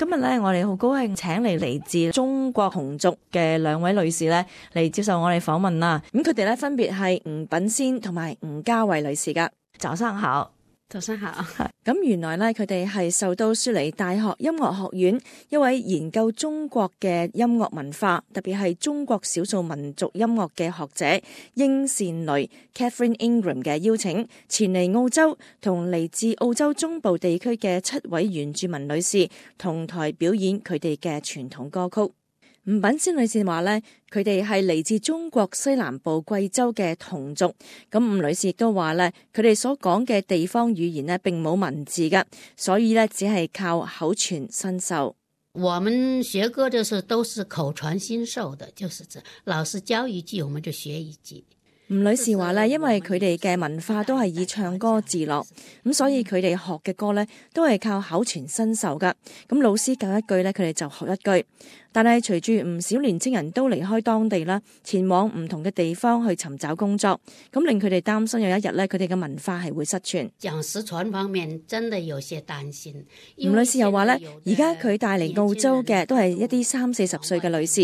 今日咧，我哋好高興請嚟自中國同族嘅兩位女士咧嚟接受我哋訪問啦。咁佢哋咧分別係吳品仙同埋吳嘉慧女士噶。早上好。早上好。咁原來咧，佢哋係受到雪梨大學音樂學院一位研究中國嘅音樂文化，特別係中國少數民族音樂嘅學者英善蕾 Catherine Ingram 嘅邀請，前嚟澳洲同嚟自澳洲中部地區嘅7位原住民女士同台表演佢哋嘅傳統歌曲。吳品仙女士話呢，佢哋係嚟自中國西南部貴州嘅同族。咁吳女士亦都話呢，佢哋所講嘅地方語言呢並冇文字噶，所以呢只係靠口傳身授。我們學歌就是都是口傳心授的，就是老師教一句我們就學一句。吳女士話呢，因為佢哋嘅文化都係以唱歌自樂，咁所以佢哋學嘅歌呢都係靠口傳身授噶。咁老師教一句呢，佢哋就學一句。但係隨住唔少年青人都離開當地啦，前往唔同嘅地方去尋找工作，咁令佢哋擔心有一日咧，佢哋嘅文化係會失傳。講失傳方面真的有些擔心。吳女士又話咧，而家佢帶嚟澳洲嘅都係一啲30-40歲嘅女士，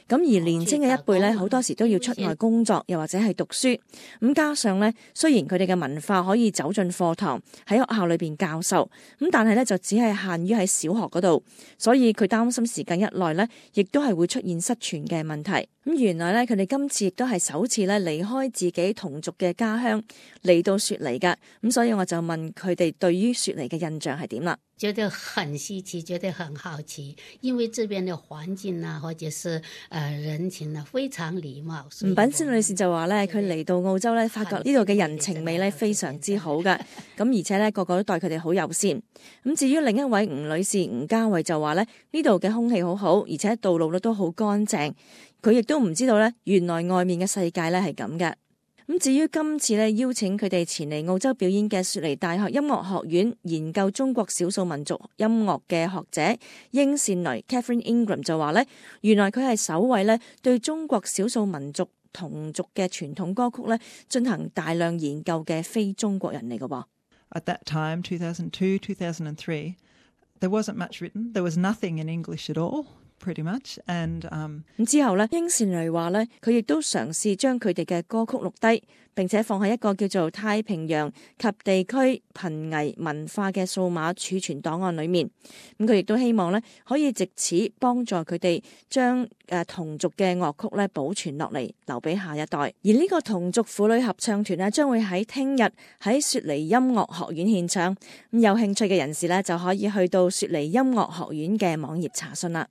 咁而年輕嘅一輩咧，好多時都要出外工作，又或者係讀書。咁加上咧，雖然佢哋嘅文化可以走進課堂喺學校裏邊教授，咁但係咧就只係限於喺小學嗰度，所以佢擔心時間一耐咧，亦都係會出現失傳嘅問題。咁原來咧，佢哋今次亦都係首次咧離開自己同族嘅家鄉嚟到雪梨噶。咁所以我就問佢哋對於雪梨嘅印象係點啦？覺得很稀奇，覺得很好奇，因為這邊的環境啊，或者是人情啊，非常禮貌。吳品仙女士就話咧，佢嚟到澳洲咧，發覺呢度嘅人情味咧非常之好噶。咁而且咧，個個都對佢哋好友善。咁至於另一位吳女士吳嘉慧就話咧，呢度嘅空氣好好，而且道路咧都好乾淨。佢亦都唔知道咧，原來外面嘅世界咧係咁嘅。咁至於今次咧邀請佢哋前嚟澳洲表演嘅雪梨大學音樂學院研究中國少數民族音樂嘅學者英善蕾 Catherine Ingram 就話咧，原來佢係首位咧對中國少數民族同族嘅傳統歌曲咧進行大量研究嘅非中國人嚟嘅喎。At that time, 2002, 2003, there wasn't much written. There was nothing in English at all.Pretty much. And 咁之後咧，英善蕾話咧，佢亦都嘗試將佢哋嘅歌曲錄低，並且放喺一個叫做太平洋及地區瀕危文化嘅數碼儲存檔案裏面。咁佢亦都希望咧，可以藉此幫助佢哋將同族嘅樂曲咧保存落嚟，留俾下一代。而呢個同族婦女合唱團咧，將會喺聽日喺雪梨音樂學院獻唱。咁有興趣嘅人士咧，就可以去到雪梨音樂學院嘅網頁查詢啦。